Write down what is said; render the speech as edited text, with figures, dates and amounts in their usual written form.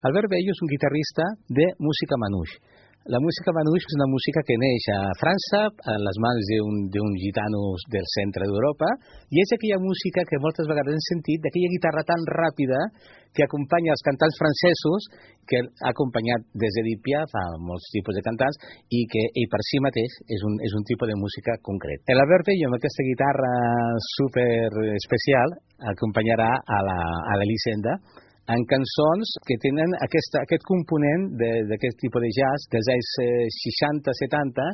Albert Bello és un guitarrista de música manouche. La música manouche és una música que neix a França, en les mans d'un gitano del centre d'Europa, i és aquella música que moltes vegades hem sentit, d'aquella guitarra tan ràpida que acompanya els cantants francesos, que ha acompanyat des d'Edith Piaf a molts tipus de cantants, i que ell per si mateix és un tipus de música concret. L'Albert Bello, amb aquesta guitarra super especial, acompanyarà a l'Elisenda en cançons que tenen aquest component d'aquest tipus de jazz dels anys 60-70,